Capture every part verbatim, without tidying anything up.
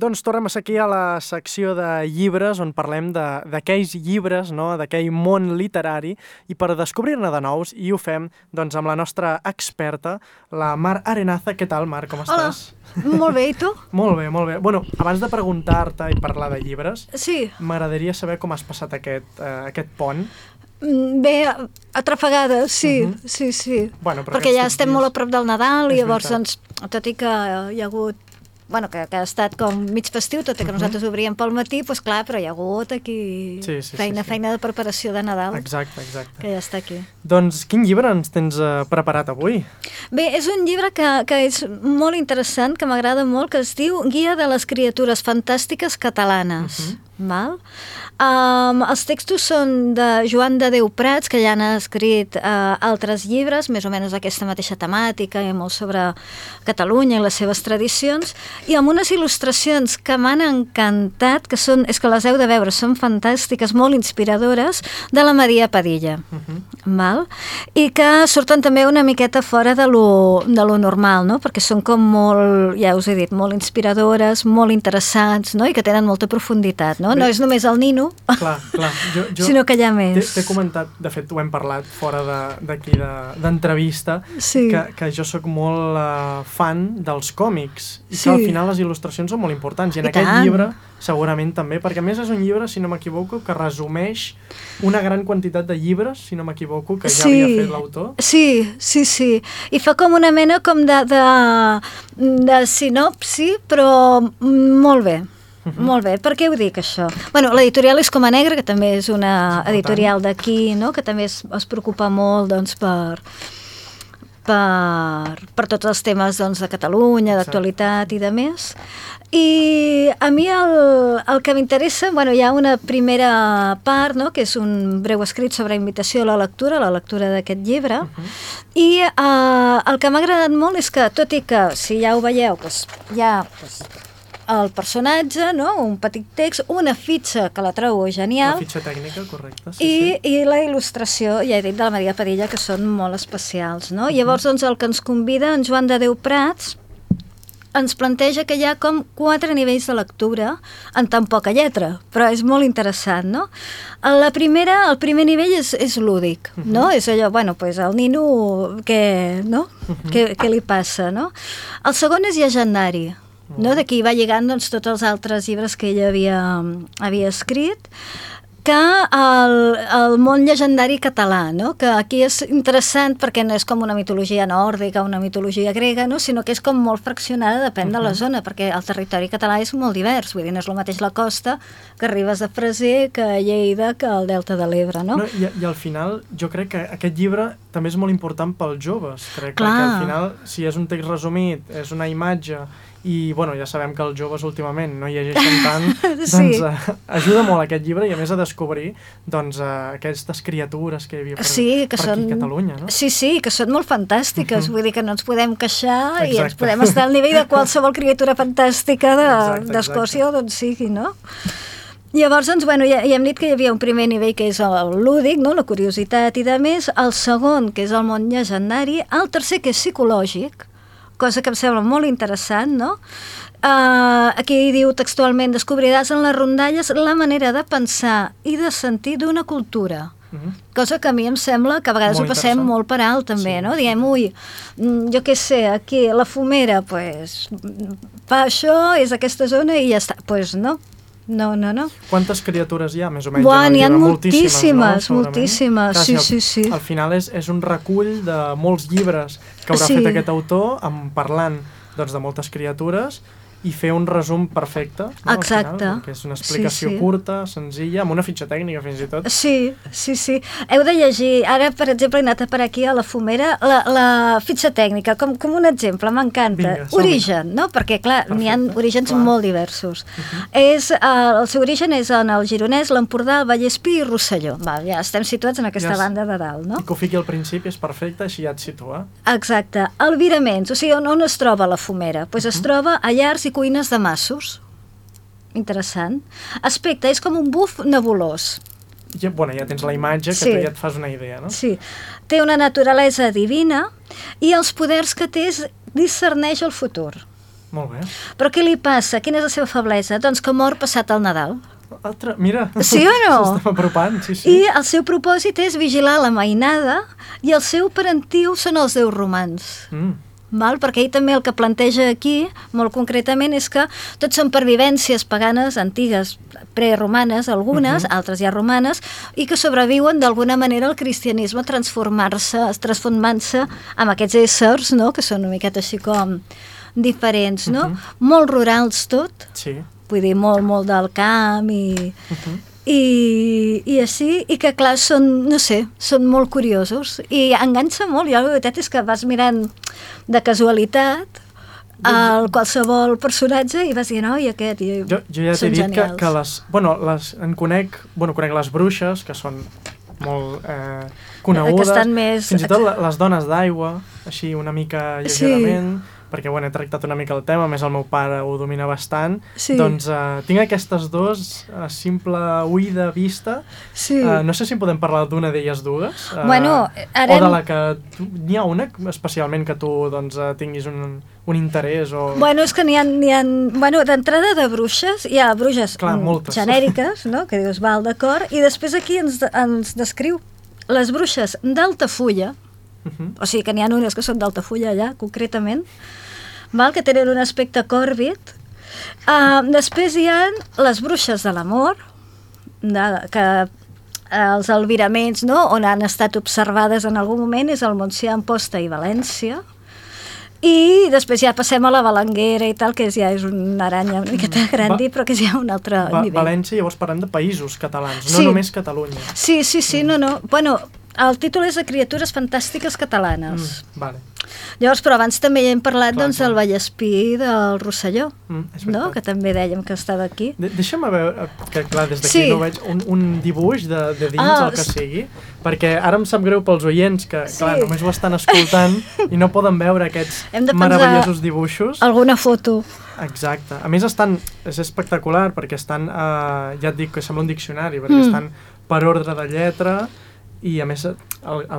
Doncs tornem a ser aquí a la secció de llibres on parlem de- d'aquells llibres, no? D'aquell món literari, i per descobrir-ne de nous, i ho fem doncs, amb la nostra experta, la Mar Arenaza. Què tal, Mar? Com Hola, estàs? molt bé, i tu? Molt bé, molt bé. Bueno, abans de preguntar-te i parlar de llibres, Sí, m'agradaria saber com has passat aquest, eh, aquest pont. mm, bé, atrafegada, sí, Mhm. sí, sí. Bueno, però Perquè ja aquests estem dies- molt a prop del Nadal i És llavors, veritat. doncs, tot i que hi ha hagut bueno, que, que ha estat com mig festiu, tot i que Mhm. nosaltres obríem pel matí, doncs clar, però hi ha hagut aquí Sí, sí, sí, feina, sí. feina de preparació de Nadal, Exacte, exacte. que ja està aquí. Doncs quin llibre ens tens eh, preparat avui? Bé, és un llibre que, que és molt interessant, que m'agrada molt, que es diu Guia de les criatures fantàstiques catalanes. Mhm. Val? Um, els textos són de Joan de Déu Prats, que ja n'ha escrit uh, altres llibres, més o menys d'aquesta mateixa temàtica, i molt sobre Catalunya i les seves tradicions, i amb unes il·lustracions que m'han encantat, que són, és que les heu de veure, són fantàstiques, molt inspiradores, de la Maria Padilla. Mhm. Val? I que surten també una miqueta fora de lo, de lo normal, no? Perquè són com molt, ja us he dit, molt inspiradores, molt interessants, no? I que tenen molta profunditat, no? Bé. No és només el nino, Clar, clar. Jo, jo sinó que hi ha t'he més. t'he comentat, de fet ho hem parlat fora de- d'aquí de, d'entrevista, Sí. que, que jo sóc molt uh, fan dels còmics i Sí. que al final les il·lustracions són molt importants i en I aquest tant. llibre segurament també, perquè a més és un llibre, si no m'equivoco, que resumeix una gran quantitat de llibres, si no m'equivoco, que ja havia fet l'autor. Sí, sí, sí. I fa com una mena com de, de, de sinopsi, però molt bé. Mhm. Molt bé, per què ho dic, això? Bueno, l'editorial és Coma Negra, que també és una És important. editorial d'aquí, no? Que també es, es preocupa molt, doncs, per, per, per tots els temes, doncs, de Catalunya, Exacte. d'actualitat i de més. I a mi el, el que m'interessa, bueno, hi ha una primera part, no?, que és un breu escrit sobre invitació a la lectura, la lectura d'aquest llibre, Mhm. i eh, el que m'ha agradat molt és que, tot i que, si ja ho veieu, doncs, hi ha doncs, el personatge, no?, un petit text, una fitxa que la trobo La genial, fitxa tècnica, correcte. Sí, i, sí. i la il·lustració, ja he dit, de la Maria Padilla, que són molt especials, no? Llavors, doncs, el que ens convida en Joan de Déu Prats ens planteja que hi ha com quatre nivells de lectura en tan poca lletra, però és molt interessant, no? La primera, el primer nivell és, és lúdic, no? És allò, bueno, pues el nino, què, no? Què, què li passa, no? El segon és llegendari, no? D'aquí va lligant, doncs, tots els altres llibres que ella havia, havia escrit, que el, el món llegendari català, no? Que aquí és interessant perquè no és com una mitologia nòrdica, una mitologia grega, no? Sinó que és com molt fraccionada, depèn de la zona, perquè el territori català és molt divers, vull dir, no és el mateix la costa que Ribes de Freser, que Lleida, que el Delta de l'Ebre, no? No, i, I al final jo crec que aquest llibre també és molt important pels joves, crec, Clar. perquè al final, si és un text resumit, és una imatge, i bueno, ja sabem que els joves últimament no llegeixen tant, Sí. doncs eh, ajuda molt aquest llibre i a més a descobrir doncs, eh, aquestes criatures que hi havia per, Sí, que per són... aquí a Catalunya, no? Sí, sí, que són molt fantàstiques, vull dir que no ens podem queixar i ens Exacte. podem estar al nivell de qualsevol criatura fantàstica de- Exacte, d'Escòcia o d'on sigui, no? Llavors, doncs, bueno, ja, ja hem dit que hi havia un primer nivell que és el lúdic, no? La curiositat i de més, el segon, que és el món llegendari, el tercer, que és psicològic, cosa que em sembla molt interessant, no? Uh, aquí diu textualment: descobriràs en les rondalles la manera de pensar i de sentir d'una cultura. Mhm. Cosa que a mi em sembla que a vegades Molt ho passem interessant. molt per alt, també, Sí, no? sí. Diem, ui, mm, jo què sé, aquí la fumera, pues, fa això, és aquesta zona i ja està. Pues no, no, no, no. Quantes criatures hi ha, més o menys, Buah, en el n'hi ha llibre? moltíssimes, no? Segurament. moltíssimes, Clar, sí, al- sí, sí. Al final és, és un recull de molts llibres que haurà Sí. fet aquest autor amb, parlant doncs, de moltes criatures i fer un resum perfecte, no, al Exacte. final, perquè és una explicació Sí, sí. curta, senzilla, amb una fitxa tècnica fins i tot. Sí, sí, sí. Heu de llegir, ara, per exemple, he anat per aquí a la fumera, la, la fitxa tècnica, com, com un exemple, m'encanta. Vinga, som-hi. Origen, no? Perquè, clar, n'hi ha Perfecte, orígens clar. molt diversos. és, eh, el seu origen és en el Gironès, l'Empordà, el Vallespir i Rosselló. Val, ja estem situats en aquesta Ja és- banda de dalt, no? I que ho fiqui al principi és perfecte, així ja et situa. Exacte. Albiraments, o sigui, on, on es troba la fumera? Pues es troba a llars i cuines de massos. Interessant. Aspecte, és com un buf nebulós. Ja, bueno, ja tens la imatge que Sí. tu ja et fas una idea, no? Sí. Té una naturalesa divina i els poders que té és discerneix el futur. Molt bé. Però què li passa? Quina és la seva feblesa? Doncs que mor passat el Nadal. Altre, mira, sí o no? s'estem apropant, sí, sí. I el seu propòsit és vigilar la mainada i el seu parentiu són els déus romans. Mm. Val? Perquè ell també el que planteja aquí, molt concretament, és que tots són pervivències paganes antigues, preromanes, algunes, uh -huh. altres ja romanes, i que sobreviuen d'alguna manera al cristianisme transformar-se, transformant-se amb aquests éssers, no?, que són una miqueta així com diferents, no? Uh -huh. Molt rurals tot, sí. Vull dir, molt, molt del camp i... Uh -huh. I, i així, i que clar, són, no sé, són molt curiosos i enganxa molt. Jo la veritat és que vas mirant de casualitat el qualsevol personatge i vas dir, no, i aquest, i jo, jo ja t'he dit que, que les, bueno, les, en conec, bueno, conec les bruixes, que són molt eh, conegudes, que estan més... fins i tot les dones d'aigua, així una mica lleugerament, sí. perquè bueno, he tractat una mica el tema, a més el meu pare ho domina bastant, sí. doncs eh, tinc aquestes dues a simple ull de vista, sí. eh, no sé si podem parlar d'una d'elles dues, eh, bueno, ara... o de la que n'hi ha una especialment que tu doncs, eh, tinguis un, un interès o... Bueno, és que n'hi ha, n'hi ha bueno, d'entrada de bruixes, hi ha bruixes Clar, genèriques, no?, que dius, val, d'acord, i després aquí ens, ens descriu les bruixes d'Altafulla, uh -huh. o sigui que n'hi ha unes que són d'Altafulla allà, concretament, val, que tenen un aspecte còrbid. Uh, després hi ha les bruixes de l'amor, de, que uh, els albiraments, no?, on han estat observades en algun moment és el Montsià, Amposta i València, i després ja passem a la Balanguera i tal, que ja és una aranya una miqueta grandi, però que és ja un altre Va, nivell. València, llavors parlem de països catalans, sí. no només Catalunya. Sí, sí, sí, mm. no, no. Bueno, el títol és de Criatures fantàstiques catalanes. Mm, vale. Llavors, però abans també ja hem parlat clar, doncs, clar. del Vallespí del Rosselló, mm, no? Que també dèiem que estava aquí. De deixa'm veure, que clar, des d'aquí sí. no veig, un, un dibuix de, de dins, ah, el que sigui, perquè ara em sap greu pels oients que, sí. clar, només ho estan escoltant i no poden veure aquests meravellosos dibuixos. Alguna foto. Exacte. A més, estan, és espectacular perquè estan, eh, ja et dic que sembla un diccionari, perquè mm. estan per ordre de lletra i a més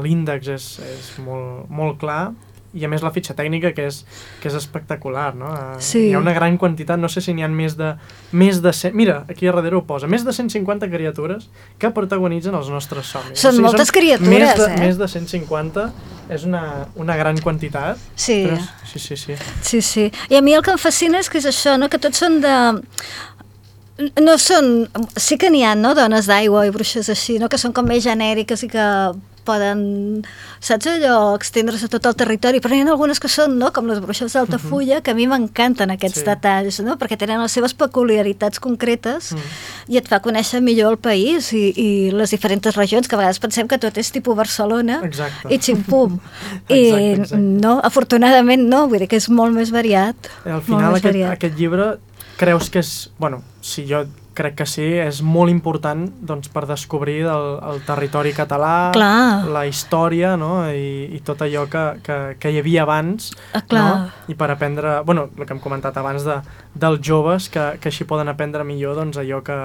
l'índex és, és molt, molt clar i a més la fitxa tècnica que és, que és espectacular, no? Sí. Hi ha una gran quantitat, no sé si n'hi ha més de, més de cent, mira, aquí a darrere ho posa, més de cent cinquanta criatures que protagonitzen els nostres somnis. Són o sigui, moltes són criatures, més de, eh? Més de cent cinquanta, és una, una gran quantitat. Sí. Però, sí, sí, sí. Sí, sí. I a mi el que em fascina és que és això, no? Que tots són de... No són... Sí que n'hi ha, no?, dones d'aigua i bruixes així, no?, que són com més genèriques i que poden, saps allò, extendre's a tot el territori, però n'hi ha algunes que són, no?, com les bruixes d'Altafulla, uh-huh. que a mi m'encanten aquests sí. detalls, no?, perquè tenen les seves peculiaritats concretes uh-huh. i et fa conèixer millor el país i, i les diferents regions, que a vegades pensem que tot és tipus Barcelona exacte. I xim-pum. I exacte, exacte. no, afortunadament no, vull dir que és molt més variat. Al final aquest, aquest llibre creus que és, bueno, si jo crec que sí, és molt important doncs, per descobrir el, el territori català, clar. La història, no? I, i tot allò que, que, que hi havia abans, ah, no? I per aprendre, bueno, el que hem comentat abans de, dels joves, que, que així poden aprendre millor doncs, allò que,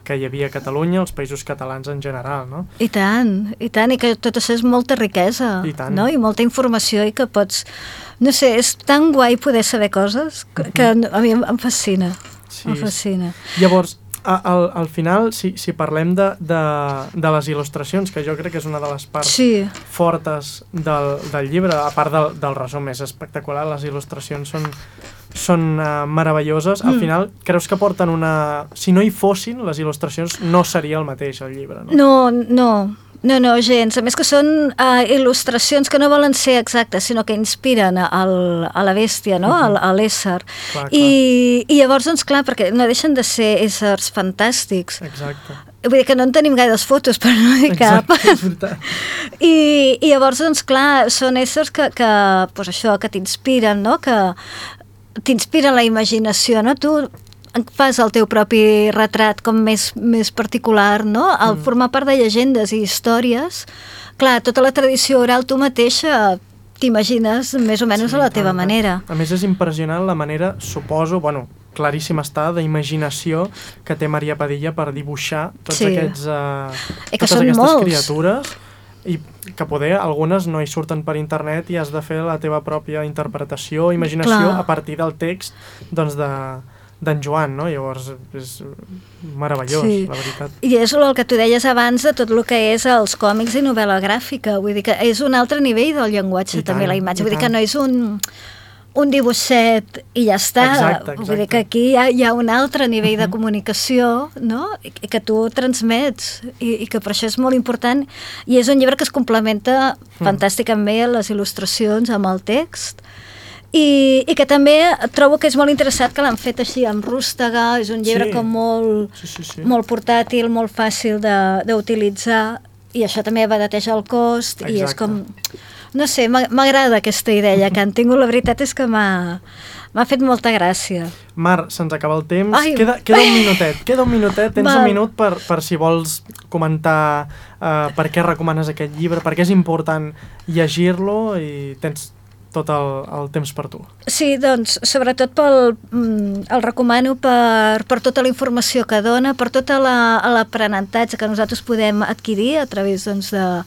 que hi havia a Catalunya, els països catalans en general, no? I tant, i tant, i que tot això és molta riquesa, I tant. No? I molta informació i que pots... No sé, és tan guai poder saber coses que, que a mi em fascina. Sí. Em fascina. Llavors, a, al, al final, si, si parlem de, de, de les il·lustracions, que jo crec que és una de les parts sí. fortes del, del llibre, a part del, del resum, és espectacular, les il·lustracions són, són uh, meravelloses. Al mm. final, creus que porten una... Si no hi fossin, les il·lustracions no seria el mateix, el llibre, no? No, no. No, no, gens. A més que són uh, il·lustracions que no volen ser exactes, sinó que inspiren al, a la bèstia, no? Uh-huh. a, a l'ésser. Clar, clar. I, I llavors, doncs, clar, perquè no deixen de ser éssers fantàstics. Exacte. Vull dir que no en tenim gaires fotos, però no hi cap. Exacte, és veritat. I, I llavors, doncs, clar, són éssers que, que, pues això, que t'inspiren, no? Que t'inspiren la imaginació, no? Tu fas el teu propi retrat com més, més particular, no? Al mm. formar part de llegendes i històries, clar, tota la tradició oral tu mateixa t'imagines més o menys sí, a la teva clar, manera. A més és impressionant la manera, suposo, bueno, claríssim està, d'imaginació que té Maria Padilla per dibuixar tots sí. aquests, uh, totes aquestes molts. criatures. I que poder algunes no hi surten per internet i has de fer la teva pròpia interpretació, imaginació, Clar. a partir del text doncs de d'en Joan, no? Llavors és meravellós, Sí. la veritat. I és el que tu deies abans de tot el que és els còmics i novel·la gràfica, vull dir que és un altre nivell del llenguatge, I també tant, la imatge, i vull dir que tant. no és un, un dibuixet i ja està, Exacte, vull dir exacte. que aquí hi ha, hi ha un altre nivell de comunicació, no? I, i que tu transmets, i, i que per això és molt important, i és un llibre que es complementa fantàsticament bé les il·lustracions amb el text, I, i que també trobo que és molt interessant que l'han fet així amb rústega, és un llibre Sí. com molt, Sí, sí, sí. molt portàtil, molt fàcil de- d'utilitzar, i això també abarateja el cost, i és Exacte. com... No sé, m'ha- m'agrada aquesta idea que han tingut, la veritat és que m'ha m'ha fet molta gràcia. Mar, se'ns acaba el temps. Ai. Queda, queda un minutet, queda un minutet. Tens Val. un minut per, per si vols comentar uh, per què recomanes aquest llibre, per què és important llegir-lo i tens tot el, el temps per tu. Sí, doncs, sobretot pel, mm, el recomano per, per tota la informació que dona, per tot la- l'aprenentatge que nosaltres podem adquirir a través doncs, de-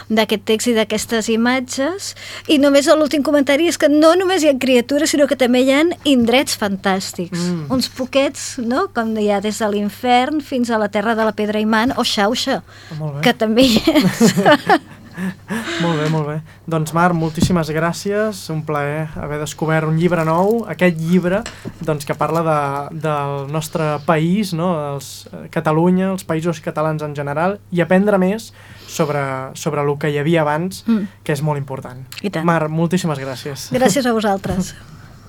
d'aquest text i d'aquestes imatges. I només l'últim comentari és que no només hi ha criatures, sinó que també hi ha indrets fantàstics. Mm. Uns poquets, no?, com hi ha des de l'infern fins a la terra de la pedra imant o Xauxa, Molt bé. que també hi és. Molt bé, molt bé. Doncs Mar, moltíssimes gràcies, un plaer haver descobert un llibre nou, aquest llibre doncs, que parla de, del nostre país, no? Els, eh, Catalunya, els països catalans en general, i aprendre més sobre, sobre el que hi havia abans, Mm. que és molt important. I tant. Mar, moltíssimes gràcies. Gràcies a vosaltres.